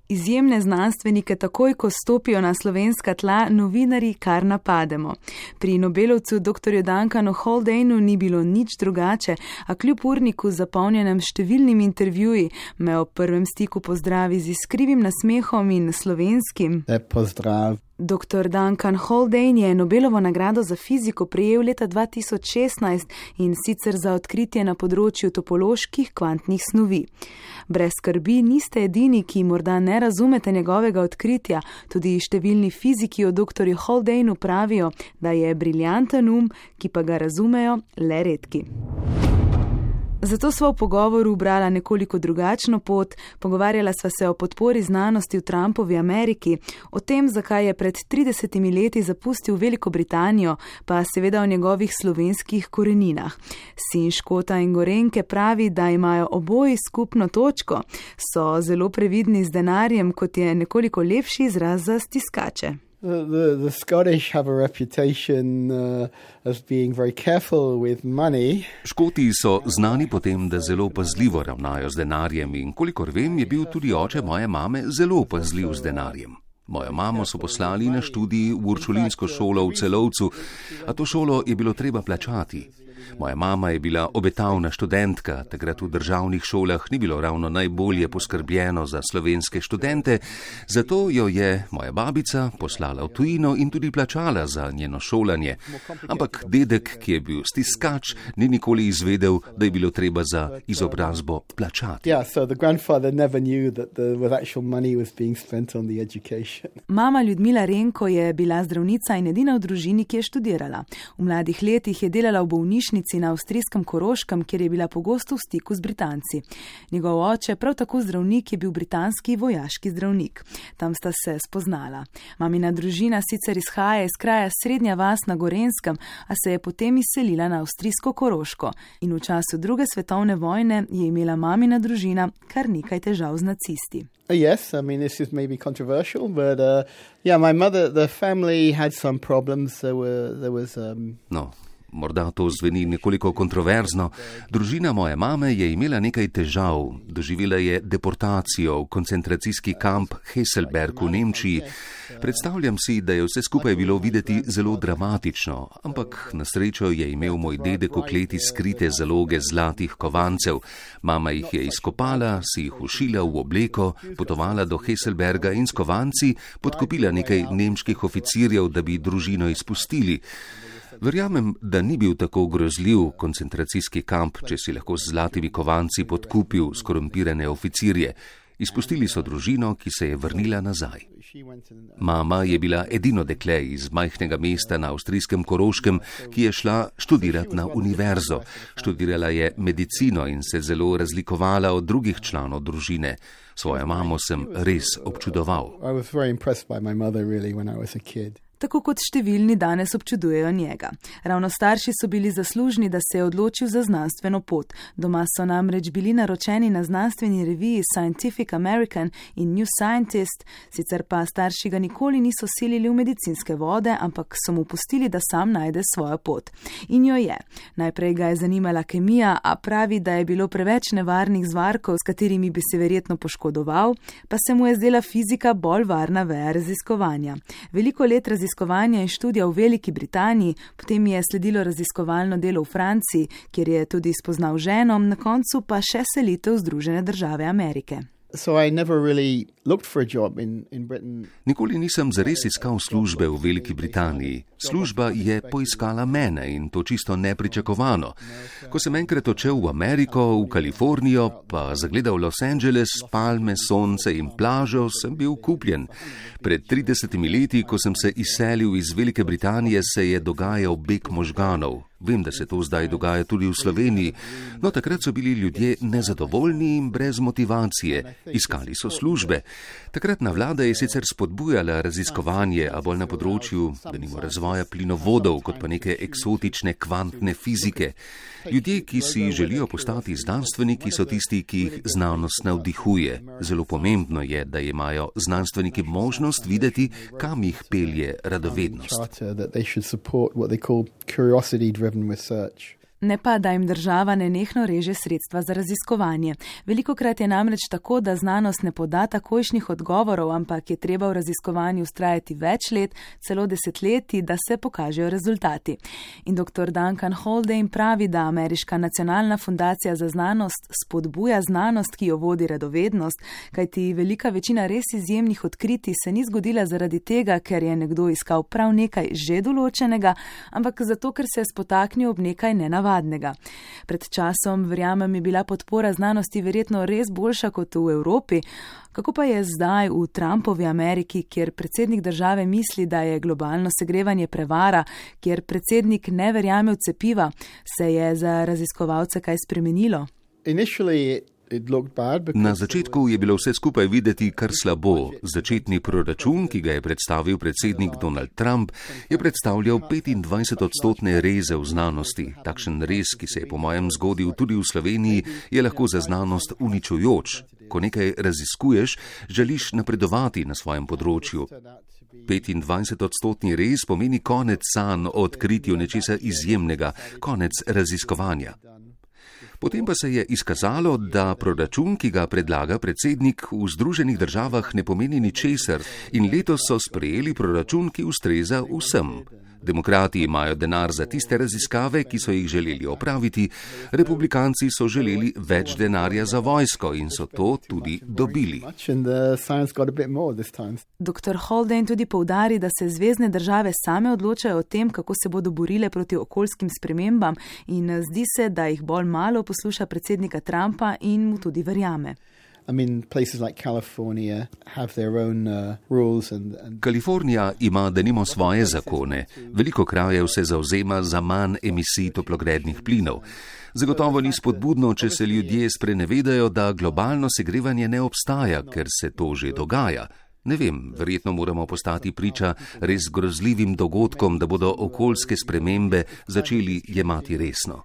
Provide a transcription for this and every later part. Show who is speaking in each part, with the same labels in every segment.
Speaker 1: Izjemne znanstvenike takoj, ko stopijo na slovenska tla, novinarji kar napademo. Pri Nobelovcu dr. Duncanu Haldane'u ni bilo nič drugače, a kljub urniku zapolnjenem številnimi intervjuji me ob prvem stiku pozdravi z iskrivim nasmehom in slovenskim.
Speaker 2: Pozdrav.
Speaker 1: Dr. Duncan Haldane je Nobelovo nagrado za fiziko prejel leta 2016 in sicer za odkritje na področju topoloških kvantnih snovi. Brez skrbi niste edini, ki morda ne razumete njegovega odkritja, tudi številni fiziki o dr. Haldaneu pravijo, da je briljanten ki pa ga razumejo le redki. Zato sva v pogovoru ubrala nekoliko drugačno pot, pogovarjala sva se o podpori znanosti v Trumpovi Ameriki, o tem, zakaj je pred 30 leti zapustil Veliko Britanijo, pa seveda o njegovih slovenskih koreninah. Sin Škota in Gorenjke pravi, da imajo oboji skupno točko, so zelo previdni z denarjem, kot je nekoliko lepši izraz za stiskače.
Speaker 2: The Scottish have a reputation as being very careful with money.
Speaker 3: Škoti so znani po tem, da zelo pazljivo ravnajo z denarjem in kolikor vem, je bil tudi oče moje mame zelo pazljiv z denarjem. Mojo mamo so poslali na študij v uršulinsko šolo v Celovcu, a to šolo je bilo treba plačati. Moja mama je bila obetavna študentka, takrat v državnih šolah ni bilo ravno najbolje poskrbljeno za slovenske študente, zato jo je moja babica poslala v tujino in tudi plačala za njeno šolanje. Ampak dedek, ki je bil stiskač, ni nikoli izvedel, da je bilo treba za izobrazbo plačati.
Speaker 1: Mama Ljudmila Renko je bila zdravnica in edina v družini, ki je študirala. V mladih letih je delala v bolnišnici na avstrijskem Koroškem, kjer je bila pogosto v stiku z Britanci. Njegov oče, prav tako zdravnik, je bil britanski vojaški zdravnik. Tam sta se spoznala. Mamina družina sicer izhaja iz kraja Srednja vas na Gorenjskem, a se je potem izselila na avstrijsko Koroško. In v času druge svetovne vojne je imela mamina družina kar nekaj težav z nacisti.
Speaker 2: Yes, I mean, this is maybe controversial, but my mother, the family had some problems. There was
Speaker 3: No. Morda to zveni nekoliko kontroverzno. Družina moje mame je imela nekaj težav. Doživela je deportacijo v koncentracijski kamp Hesselberg v Nemčiji. Predstavljam si, da je vse skupaj bilo videti zelo dramatično, ampak na srečo je imel moj dedek v kleti skrite zaloge zlatih kovancev. Mama jih je izkopala, si jih ušila v obleko, potovala do Hesselberga in s kovanci podkupila nekaj nemških oficirjev, da bi družino izpustili. Verjamem, da ni bil tako grozljiv koncentracijski kamp, če si lahko z zlatimi kovanci podkupil skorumpirane oficirje. Izpustili so družino, ki se je vrnila nazaj. Mama je bila edino dekle iz majhnega mesta na avstrijskem Koroškem, ki je šla študirati na univerzo. Študirala je medicino in se zelo razlikovala od drugih članov družine. Svojo mamo sem res občudoval.
Speaker 1: Tako kot številni danes občudujejo njega. Ravno starši so bili zaslužni, da se je odločil za znanstveno pot. Doma so namreč bili naročeni na znanstveni reviji Scientific American in New Scientist, sicer pa starši ga nikoli niso silili v medicinske vode, ampak so mu pustili, da sam najde svojo pot. In jo je. Najprej ga je zanimala kemija, a pravi, da je bilo preveč nevarnih zvarkov, s katerimi bi se verjetno poškodoval, pa se mu je zdela fizika bolj varna veja raziskovanja. Veliko let raziskovanja in študija v Veliki Britaniji, potem je sledilo raziskovalno delo v Franciji, kjer je tudi spoznal ženo, na koncu pa še selitev v Združene države Amerike.
Speaker 3: Nikoli nisem zares iskal službe v Veliki Britaniji. Služba je poiskala mene in to čisto nepričakovano. Ko sem enkrat odšel v Ameriko, v Kalifornijo, pa zagledal Los Angeles, palme, sonce in plažo, sem bil kupljen. Pred 30 leti, ko sem se izselil iz Velike Britanije, se je dogajal beg možganov. Vem, da se to zdaj dogaja tudi v Sloveniji, no takrat so bili ljudje nezadovoljni in brez motivacije. Iskali so službe. Takratna vlada je sicer spodbujala raziskovanje, a bolj na področju, denimo razvoja plinovodov, kot pa neke eksotične kvantne fizike. Ljudje, ki si želijo postati znanstveniki, so tisti, ki jih znanost navdihuje. Zelo pomembno je, da imajo znanstveniki možnost videti, kam jih pelje radovednost.
Speaker 1: Ne pa, da jim država nenehno reže sredstva za raziskovanje. Velikokrat je namreč tako, da znanost ne poda takojšnjih odgovorov, ampak je treba v raziskovanju vztrajati več let, celo desetletij, da se pokažejo rezultati. In dr. Duncan Haldane pravi, da Ameriška nacionalna fundacija za znanost spodbuja znanost, ki jo vodi radovednost, kajti velika večina res izjemnih odkritij se ni zgodila zaradi tega, ker je nekdo iskal prav nekaj že določenega, ampak zato, ker se je spotaknil ob nekaj nenavadnega. Pred časom, verjamem, je bila podpora znanosti verjetno res boljša kot v Evropi. Kako pa je zdaj v Trumpovi Ameriki, kjer predsednik države misli, da je globalno segrevanje prevara, kjer predsednik ne verjame v cepiva, se je za raziskovalce kaj spremenilo?
Speaker 3: Na začetku je bilo vse skupaj videti kar slabo. Začetni proračun, ki ga je predstavil predsednik Donald Trump, je predstavljal 25% reze v znanosti. Takšen rez, ki se je po mojem zgodil tudi v Sloveniji, je lahko za znanost uničujoč. Ko nekaj raziskuješ, želiš napredovati na svojem področju. 25% rez pomeni konec sanj o odkritju nečesa izjemnega, konec raziskovanja. Potem pa se je izkazalo, da proračun, ki ga predlaga predsednik, v Združenih državah ne pomeni ničesar in letos so sprejeli proračun, ki ustreza vsem. Demokrati imajo denar za tiste raziskave, ki so jih želeli opraviti, republikanci so želeli več denarja za vojsko in so to tudi dobili.
Speaker 1: Dr. Haldane tudi poudari, da se zvezne države same odločajo o tem, kako se bodo borile proti okoljskim spremembam in zdi se, da jih bolj malo posluša predsednika Trumpa in mu tudi verjame.
Speaker 3: Kalifornija ima denimo svoje zakone. Veliko krajev se zavzema za manj emisij toplogrednih plinov. Zagotovo ni spodbudno, če se ljudje sprenevedajo, da globalno segrevanje ne obstaja, ker se to že dogaja. Ne vem, verjetno moramo postati priča res grozljivim dogodkom, da bodo okoljske spremembe začeli jemati resno.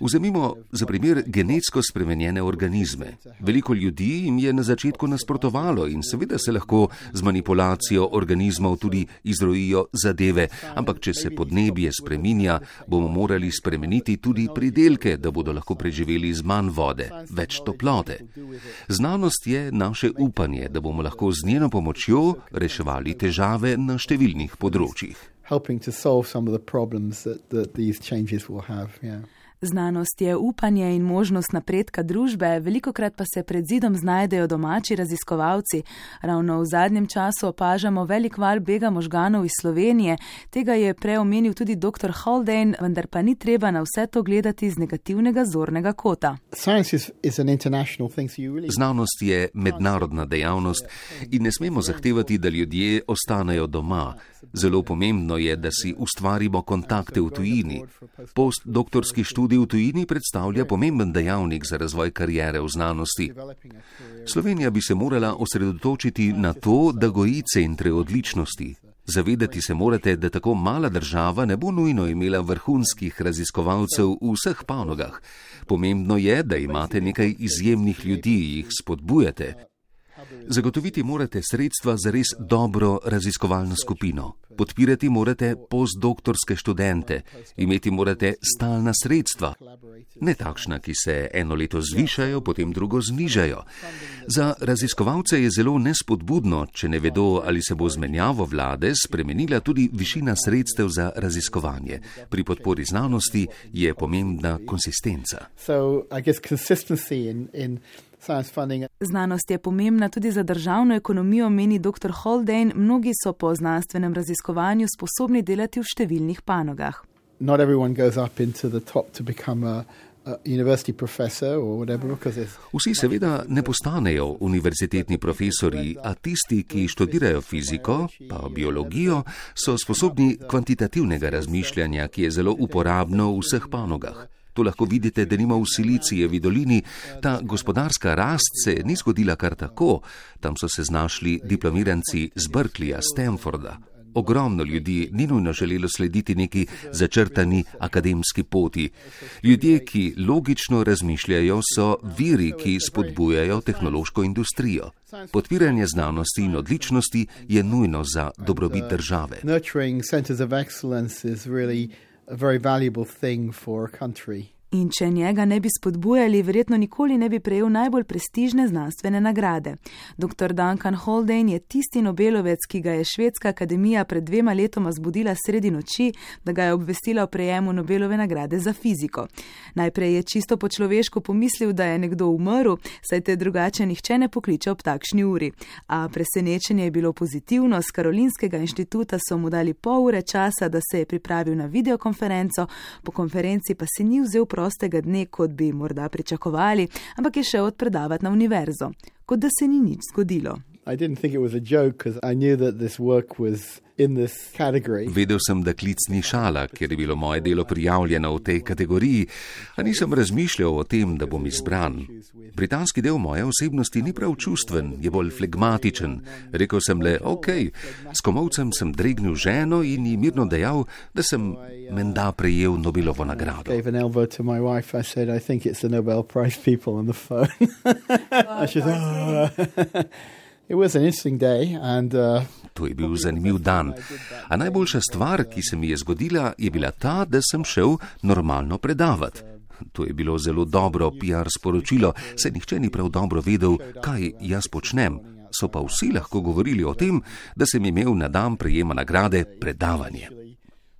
Speaker 3: Vzemimo za primer genetsko spremenjene organizme. Veliko ljudi jim je na začetku nasprotovalo in seveda se lahko z manipulacijo organizmov tudi izrojijo zadeve, ampak če se podnebje spreminja, bomo morali spremeniti tudi pridelke, da bodo lahko preživeli z manj vode, več toplote. Znanost je naše upanje, da bomo lahko z njeno pomočjo reševali težave na številnih področjih.
Speaker 1: Znanost je upanje in možnost napredka družbe, velikokrat pa se pred zidom znajdejo domači raziskovalci. Ravno v zadnjem času opažamo velik val bega možganov iz Slovenije. Tega je prej omenil tudi dr. Haldane, vendar pa ni treba na vse to gledati z negativnega zornega kota.
Speaker 3: Znanost je mednarodna dejavnost in ne smemo zahtevati, da ljudje ostanejo doma. Zelo pomembno je, da si ustvarimo kontakte v tujini. Postdoktorski študij v tujini predstavlja pomemben dejavnik za razvoj kariere v znanosti. Slovenija bi se morala osredotočiti na to, da goji centre odličnosti. Zavedati se morate, da tako mala država ne bo nujno imela vrhunskih raziskovalcev v vseh panogah. Pomembno je, da imate nekaj izjemnih ljudi, jih spodbujate. Zagotoviti morate sredstva za res dobro raziskovalno skupino. Podpirati morate postdoktorske študente. Imeti morate stalna sredstva. Ne takšna, ki se eno leto zvišajo, potem drugo znižajo. Za raziskovalce je zelo nespodbudno, če ne vedo, ali se bo z menjavo vlade spremenila tudi višina sredstev za raziskovanje. Pri podpori znanosti je pomembna konsistenca.
Speaker 1: Znanost je pomembna tudi za državno ekonomijo, meni dr. Haldane. Mnogi so po znanstvenem raziskovanju sposobni delati v številnih panogah.
Speaker 3: Vsi seveda ne postanejo univerzitetni profesori, a tisti, ki študirajo fiziko, pa biologijo, so sposobni kvantitativnega razmišljanja, ki je zelo uporabno v vseh panogah. To lahko vidite, da nima v Silicijevi dolini, ta gospodarska rast se ni zgodila kar tako. Tam so se znašli diplomiranci z Berkeleyja, Stanforda. Ogromno ljudi ni nujno želelo slediti neki začrtani akademski poti. Ljudje, ki logično razmišljajo, so viri, ki spodbujajo tehnološko industrijo. Podpiranje znanosti in odličnosti je nujno za dobrobit države.
Speaker 2: a very valuable thing for a country.
Speaker 1: In če njega ne bi spodbujali, verjetno nikoli ne bi prejel najbolj prestižne znanstvene nagrade. Dr. Duncan Haldane je tisti Nobelovec, ki ga je Švedska akademija pred 2 letoma zbudila sredi noči, da ga je obvestila o prejemu Nobelove nagrade za fiziko. Najprej je čisto po človeško pomislil, da je nekdo umrl, saj te drugače nihče ne pokliče ob takšni uri. A presenečenje je bilo pozitivno, z Karolinskega inštituta so mu dali pol ure časa, da se je pripravil na videokonferenco, po konferenci pa se ni vzel prostega dne, kot bi morda pričakovali, ampak je šel odpredavati na univerzo, kot da se ni nič zgodilo.
Speaker 3: Vedel sem, da klic ni šala, ker je bilo moje delo prijavljeno v tej kategoriji, a nisem razmišljal o tem, da bom izbran. Britanski del moje osebnosti ni prav čustven, je bolj flegmatičen. Rekel sem le, s komolcem sem dregnil ženo in ji mirno dejal, da sem menda prejel Nobelovo nagrado. To je bil zanimiv dan. A najboljša stvar, ki se mi je zgodila, je bila ta, da sem šel normalno predavati. To je bilo zelo dobro PR sporočilo, saj nihče ni prav dobro vedel, kaj jaz počnem. So pa vsi lahko govorili o tem, da sem imel na dan prejema nagrade predavanje.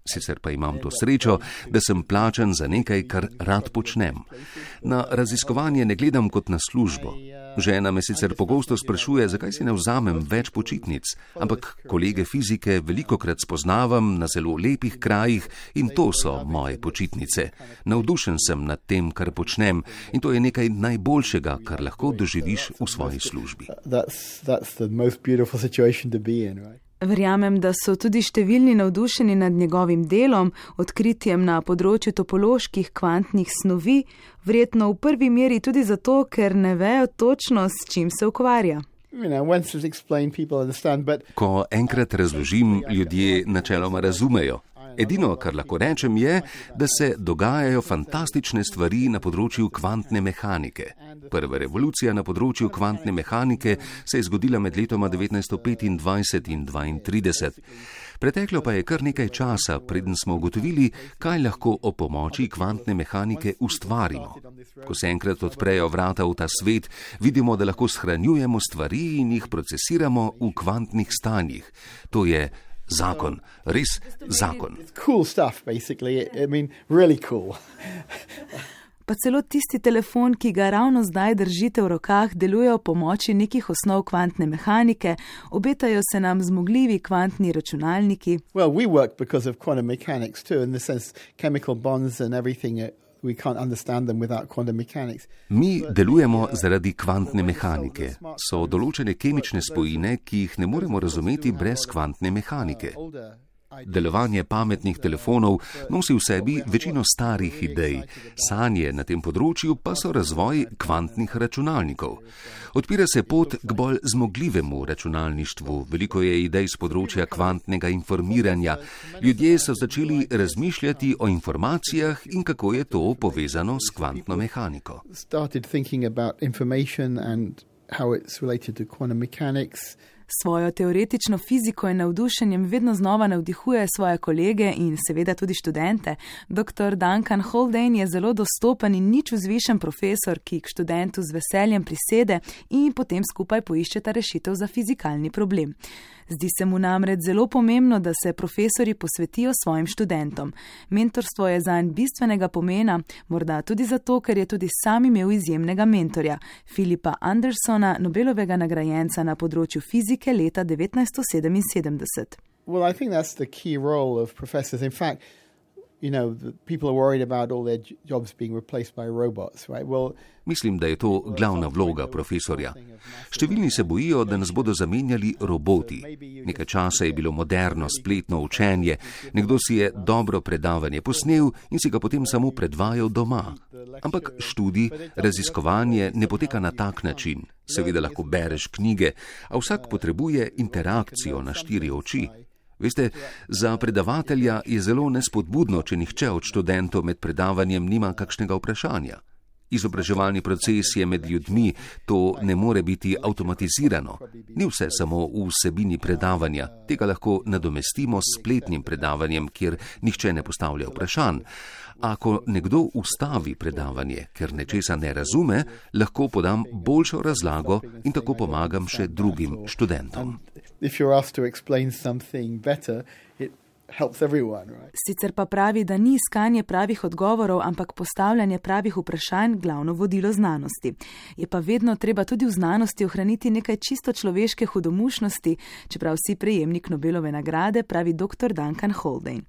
Speaker 3: Sicer pa imam to srečo, da sem plačan za nekaj, kar rad počnem. Na raziskovanje ne gledam kot na službo. Žena me sicer pogosto sprašuje, zakaj si ne vzamem več počitnic, ampak kolege fizike velikokrat spoznavam na zelo lepih krajih in to so moje počitnice. Navdušen sem nad tem, kar počnem, in to je nekaj najboljšega, kar lahko doživiš v svoji službi.
Speaker 1: Verjamem, da so tudi številni navdušeni nad njegovim delom, odkritjem na področju topoloških kvantnih snovi, verjetno v prvi meri tudi zato, ker ne vejo točno, s čim se ukvarja.
Speaker 3: Ko enkrat razložim, ljudje načeloma razumejo. Edino, kar lahko rečem, je, da se dogajajo fantastične stvari na področju kvantne mehanike. Prva revolucija na področju kvantne mehanike se je zgodila med letoma 1925 in 1932. Preteklo pa je kar nekaj časa, preden smo ugotovili, kaj lahko o pomoči kvantne mehanike ustvarimo. Ko se enkrat odprejo vrata v ta svet, vidimo, da lahko shranjujemo stvari in jih procesiramo v kvantnih stanjih. To je zakon, res zakon.
Speaker 1: Pa celo tisti telefon, ki ga ravno zdaj držite v rokah, deluje o pomoči nekih osnov kvantne mehanike, obetajo se nam zmogljivi kvantni računalniki.
Speaker 3: Mi delujemo zaradi kvantne mehanike. So določene kemične spojine, ki jih ne moremo razumeti brez kvantne mehanike. Delovanje pametnih telefonov nosi v sebi večino starih idej, sanje na tem področju pa so razvoj kvantnih računalnikov. Odpira se pot k bolj zmogljivemu računalništvu, veliko je idej z področja kvantnega informiranja. Ljudje so začeli razmišljati o informacijah in kako je to povezano s kvantno mehaniko.
Speaker 1: Svojo teoretično fiziko in navdušenjem vedno znova navdihuje svoje kolege in seveda tudi študente. Dr. Duncan Haldane je zelo dostopen in nič vzvišen profesor, ki k študentu z veseljem prisede in potem skupaj poiščeta rešitev za fizikalni problem. Zdi se mu namreč zelo pomembno, da se profesori posvetijo svojim študentom. Mentorstvo je zanj bistvenega pomena, morda tudi zato, ker je tudi sam imel izjemnega mentorja, Philipa Andersona, Nobelovega nagrajenca na področju fizike leta 1977.
Speaker 2: Well, I think that's the key role of professors. In fact, people are worried about all their jobs being replaced by robots, right? Well,
Speaker 3: mislim, da je to glavna vloga profesorja. Številni se bojijo, da nas bodo zamenjali roboti. Nekaj časa je bilo moderno spletno učenje, nekdo si je dobro predavanje posnel in si ga potem samo predvajal doma. Ampak študij, raziskovanje ne poteka na tak način. Seveda lahko bereš knjige, a vsak potrebuje interakcijo na 4 oči. Veste, za predavatelja je zelo nespodbudno, če nihče od študentov med predavanjem nima kakšnega vprašanja. Izobraževalni proces je med ljudmi, to ne more biti avtomatizirano. Ni vse samo v vsebini predavanja, tega lahko nadomestimo s spletnim predavanjem, kjer nihče ne postavlja vprašanj. Ako nekdo ustavi predavanje, ker nečesa ne razume, lahko podam boljšo razlago in tako pomagam še drugim študentom.
Speaker 1: Sicer pa pravi, da ni iskanje pravih odgovorov, ampak postavljanje pravih vprašanj glavno vodilo znanosti. Je pa vedno treba tudi v znanosti ohraniti nekaj čisto človeške hudomušnosti, čeprav si prejemnik Nobelove nagrade, pravi dr. Duncan Haldane.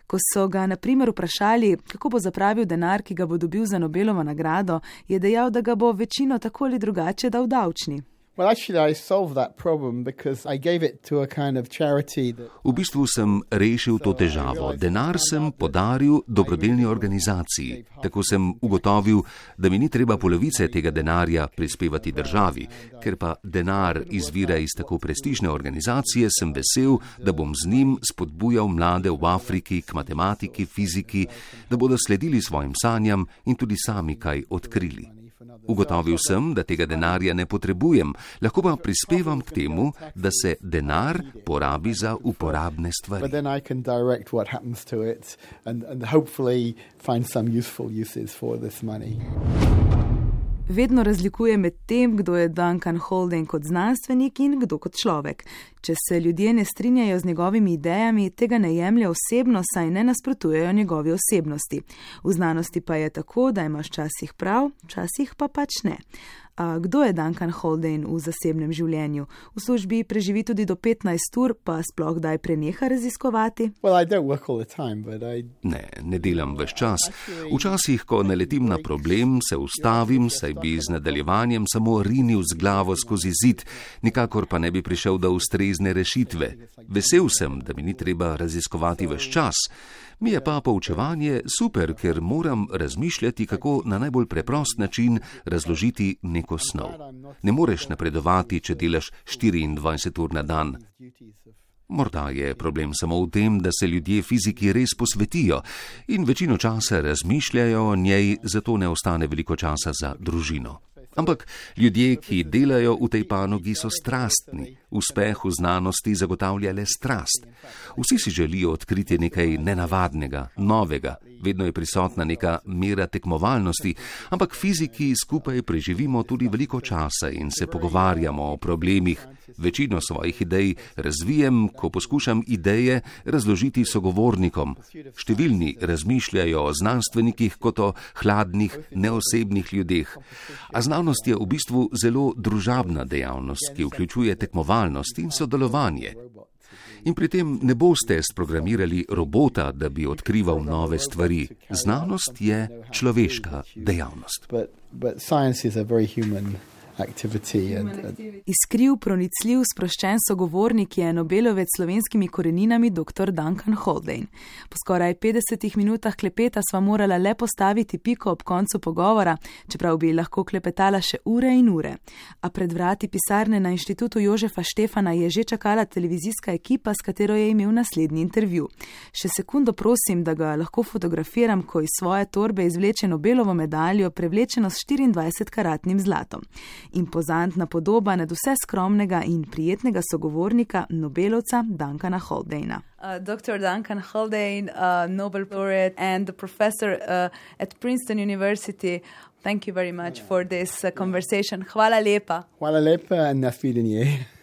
Speaker 1: Ko so ga na primer vprašali, kako bo zapravil denar, ki ga bo dobil za Nobelovo nagrado, je dejal, da ga bo večino tako ali drugače dal davčni.
Speaker 3: V bistvu sem rešil to težavo. Denar sem podaril dobrodelni organizaciji. Tako sem ugotovil, da mi ni treba polovice tega denarja prispevati državi. Ker pa denar izvira iz tako prestižne organizacije, sem vesel, da bom z njim spodbujal mlade v Afriki k matematiki, fiziki, da bodo sledili svojim sanjam in tudi sami kaj odkrili. Ugotovil sem, da tega denarja ne potrebujem, lahko pa prispevam k temu, da se denar porabi za uporabne stvari.
Speaker 1: Vedno razlikuje med tem, kdo je Duncan Haldane kot znanstvenik in kdo kot človek. Če se ljudje ne strinjajo z njegovimi idejami, tega ne jemlje osebno, saj ne nasprotujejo njegovi osebnosti. V znanosti pa je tako, da imaš včasih prav, včasih pa pač ne. A kdo je Duncan Haldane v zasebnem življenju? V službi preživi tudi do 15 ur, pa sploh kdaj preneha raziskovati?
Speaker 3: Ne delam ves čas. Včasih, ko naletim na problem, se ustavim, saj bi z nadaljevanjem samo rinil z glavo skozi zid, nikakor pa ne bi prišel do ustrezne rešitve. Vesel sem, da mi ni treba raziskovati ves čas. Mi je pa poučevanje super, ker moram razmišljati, kako na najbolj preprost način razložiti neko snov. Ne moreš napredovati, če delaš 24 ur na dan. Morda je problem samo v tem, da se ljudje fiziki res posvetijo in večino časa razmišljajo o njej, zato ne ostane veliko časa za družino. Ampak ljudje, ki delajo v tej panogi, so strastni. Uspeh v znanosti zagotavlja le strast. Vsi si želijo odkriti nekaj nenavadnega, novega. Vedno je prisotna neka mera tekmovalnosti, ampak fiziki skupaj preživimo tudi veliko časa in se pogovarjamo o problemih. Večino svojih idej razvijem, ko poskušam ideje razložiti sogovornikom. Številni razmišljajo o znanstvenikih kot o hladnih, neosebnih ljudeh. A znanost je v bistvu zelo družabna dejavnost, ki vključuje tekmovalnost in sodelovanje. In pri tem ne boste sprogramirali robota, da bi odkrival nove stvari. Znanost je človeška dejavnost.
Speaker 1: Iskriv, pronicljiv, sproščen sogovornik je Nobelovec s slovenskimi koreninami dr. Duncan Haldane. Po skoraj 50 minutah klepeta sva morala le postaviti piko ob koncu pogovora, čeprav bi lahko klepetala še ure in ure. A pred vrati pisarne na Inštitutu Jožefa Štefana je že čakala televizijska ekipa, s katero je imel naslednji intervju. Še sekundo prosim, da ga lahko fotografiram, ko iz svoje torbe izvleče Nobelovo medaljo, prevlečeno s 24-karatnim zlatom. Impozantna podoba nad vse skromnega in prijetnega sogovornika Nobelovca Duncana Haldana. Dr. Duncan Haldane, Nobel laureate and the professor at Princeton University. Thank you very much for this conversation. Hvala lepa.
Speaker 2: Hvala lepa in nasvidenje.